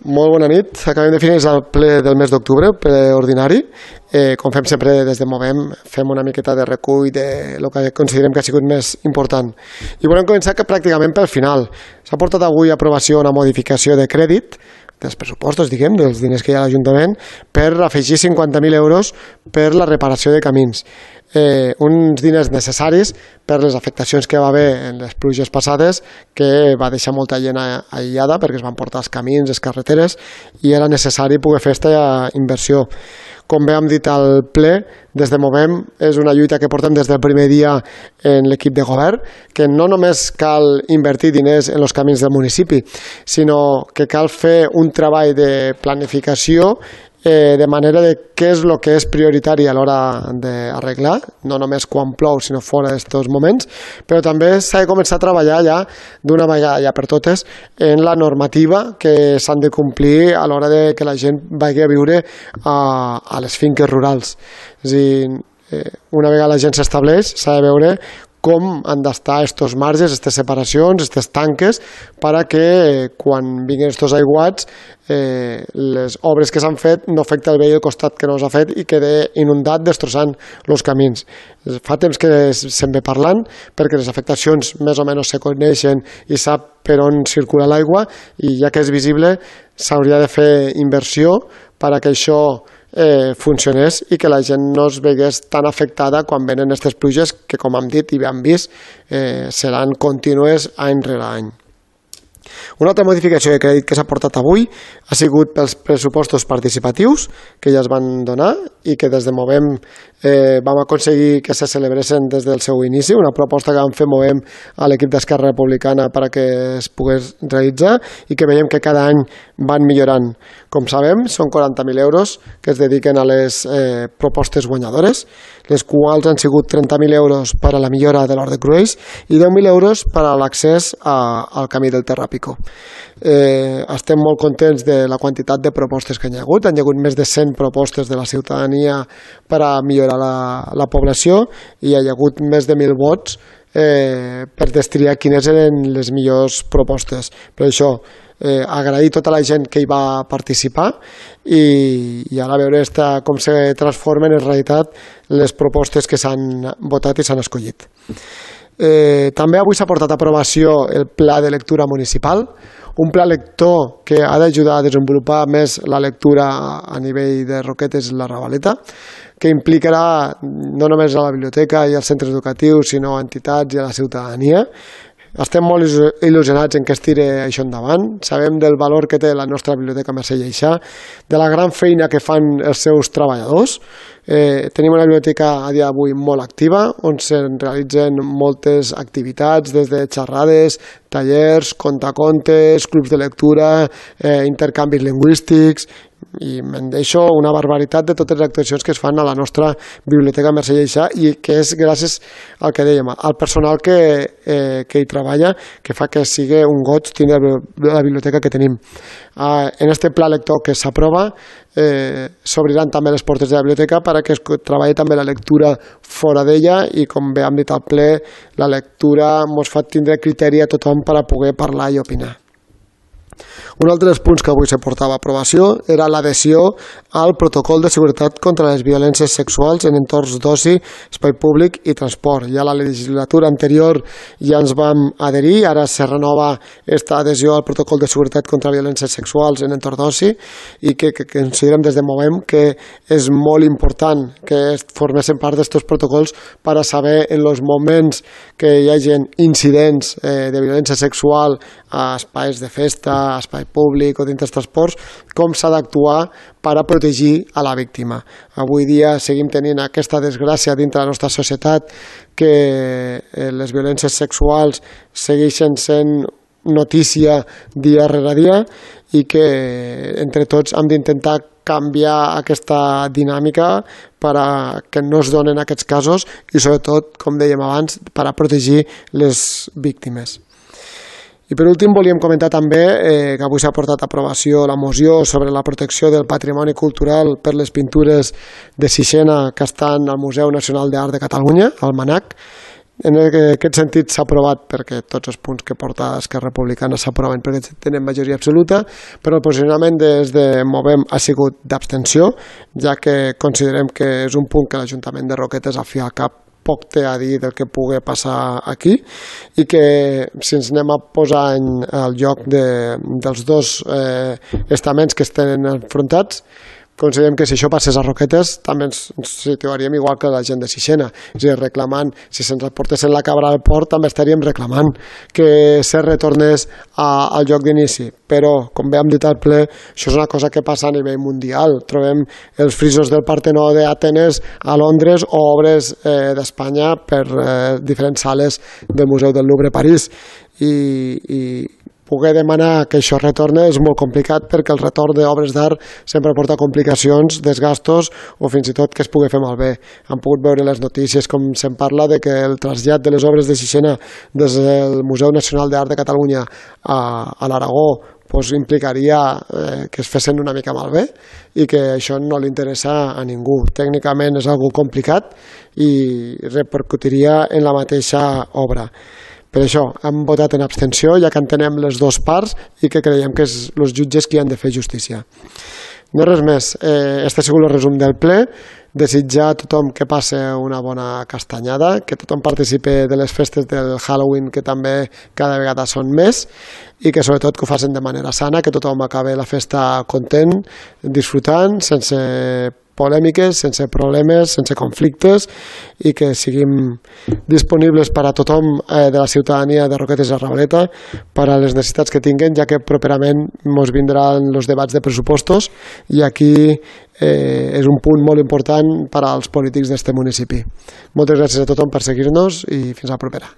Molt bona nit. Acabem de finalitzar el ple del mes d'octubre, ple ordinari. Com fem sempre des de Movem, fem una miqueta de recull de lo que considerem que ha sigut més important. I volem començar pràcticament pel final. S'ha portat avui a aprovació una modificació de crèdit dels pressupostos, diguem, dels diners que hi ha a l'Ajuntament, per afegir 50.000 euros per la reparació de camins. Uns diners necessaris per les afectacions que va haver en les pluges passades, que va deixar molta gent aïllada perquè es van portar els camins, les carreteres, i era necessari poder fer aquesta inversió. Com bé hem dit al ple, des de Movem és una lluita que portem des del primer dia en l'equip de govern, que no només cal invertir diners en els camins del municipi, sinó que cal fer un treball de planificació de manera de què és el que és prioritari a l'hora d'arreglar, no només quan plou, sinó fora d'aquests moments, però també s'ha de començar a treballar ja d'una vegada ja per totes en la normativa que s'han de complir a l'hora de que la gent vagi a viure a les finques rurals. És a dir, una vegada la gent s'estableix, s'ha de veure com han d'estar aquests marges, aquestes separacions, aquestes tanques, perquè quan vinguin aquests aiguats les obres que s'han fet no afecten el veí del costat que no s'ha fet i quede inundat destrossant els camins. Fa temps que se'n ve parlant perquè les afectacions més o menys se coneixen i sap per on circula l'aigua, i ja que és visible s'hauria de fer inversió perquè això funcionés i que la gent no es vegués tan afectada quan venen aquestes pluges que, com hem dit i hem vist, seran contínues any rere any. Una altra modificació de crèdit que s'ha portat avui ha sigut pels pressupostos participatius que ja es van donar i que des de Movem vam aconseguir que se celebressin des del seu inici, una proposta que vam fer Movem a l'equip d'Esquerra Republicana perquè es pogués realitzar i que veiem que cada any van millorant. Com sabem, són 40.000 euros que es dediquen a les propostes guanyadores, les quals han sigut 30.000 euros per a la millora de l'Hort de Cruells i 10.000 euros per a l'accés al camí del Terrapico. Estem molt contents de la quantitat de propostes que hi ha hagut. Hi ha hagut més de 100 propostes de la ciutadania per a millorar la població i hi ha hagut més de 1.000 vots per destriar quines eren les millors propostes. Per això, agrair a tota la gent que hi va participar i ara veure com se transformen en realitat les propostes que s'han votat i s'han escollit. També avui s'ha portat a aprovació el Pla de Lectura Municipal, un pla lector que ha d'ajudar a desenvolupar més la lectura a nivell de Roquetes i la Ravaleta, que implicarà no només a la biblioteca i als centres educatius, sinó a entitats i a la ciutadania. Estem molt il·lusionats en que es tiri això endavant. Sabem del valor que té la nostra biblioteca Mercè Lleixà, de la gran feina que fan els seus treballadors. Tenim una biblioteca a dia d'avui molt activa, on se realitzen moltes activitats, des de xerrades, tallers, contacontes, clubs de lectura, intercanvis lingüístics, i me'n deixo una barbaritat de totes les actuacions que es fan a la nostra biblioteca Mercè Lleixà i que és gràcies al que dèiem, al personal que hi treballa, que fa que sigui un goig tindre la biblioteca que tenim. En este pla lector que s'aprova s'obriran també les portes de la biblioteca perquè es treballi també la lectura fora d'ella i, com bé hem dit al ple, la lectura ens fa tindre criteri a tothom per a poder parlar i opinar. Un altre dels punts que avui se portava a aprovació era l'adhesió al protocol de seguretat contra les violències sexuals en entorns d'oci, espai públic i transport. Ja a la legislatura anterior ja ens vam adherir, ara se renova aquesta adhesió al protocol de seguretat contra violències sexuals en entorn d'oci i que considerem des de Movem que és molt important que formessin part d'aquests protocols per a saber en els moments que hi hagi incidents de violència sexual a espais de festa, a espai públic o dintre dels transports, com s'ha d'actuar per a protegir a la víctima. Avui dia seguim tenint aquesta desgràcia dintre la nostra societat que les violències sexuals segueixen sent notícia dia rere dia i que entre tots hem d'intentar canviar aquesta dinàmica per a que no es donen aquests casos i sobretot, com dèiem abans, per a protegir les víctimes. I per últim volíem comentar també que avui s'ha portat a aprovació la moció sobre la protecció del patrimoni cultural per les pintures de Sixena que estan al Museu Nacional d'Art de Catalunya, al MNAC, En aquest sentit s'ha aprovat perquè tots els punts que porta Esquerra Republicana s'aproven perquè tenen majoria absoluta, però el posicionament des de Movem ha sigut d'abstenció, ja que considerem que és un punt que l'Ajuntament de Roquetes al fi al cap poc té a dir del que pugui passar aquí i que si ens anem a posar al lloc dels dos estaments que estan enfrontats, considerem que si això passés a Roquetes també ens situaríem igual que la gent de Sixena, és a dir, reclamant, si se'ns portessin la cabra al port també estaríem reclamant que se retornés al lloc d'inici, però com bé hem dit al ple, això és una cosa que passa a nivell mundial, trobem els frisos del Partenó d'Atenes a Londres o obres d'Espanya per diferents sales del Museu del Louvre a París i poder demanar que això retorni és molt complicat perquè el retorn d'obres d'art sempre porta complicacions, desgastos o fins i tot que es pugui fer malbé. Han pogut veure les notícies com se'n parla de que el trasllat de les obres de Sixena des del Museu Nacional d'Art de Catalunya a l'Aragó implicaria que es fessin una mica malbé i que això no li interessa a ningú. Tècnicament és algo complicat i repercutiria en la mateixa obra. Per això hem votat en abstenció, ja que entenem les dues parts i que creiem que és els jutges qui han de fer justícia. No res més. Este ha sigut el resum del ple. Desitjar a tothom que passe una bona castanyada, que tothom participi de les festes del Halloween, que també cada vegada són més, i que sobretot que ho facin de manera sana, que tothom acabi la festa content, disfrutant, sense polèmiques, sense problemes, sense conflictes i que siguin disponibles per a tothom de la ciutadania de Roquetes i Arrabaleta per a les necessitats que tinguen, ja que properament ens vindran els debats de pressupostos i aquí és un punt molt important per als polítics d'este municipi. Moltes gràcies a tothom per seguir-nos i fins a la propera.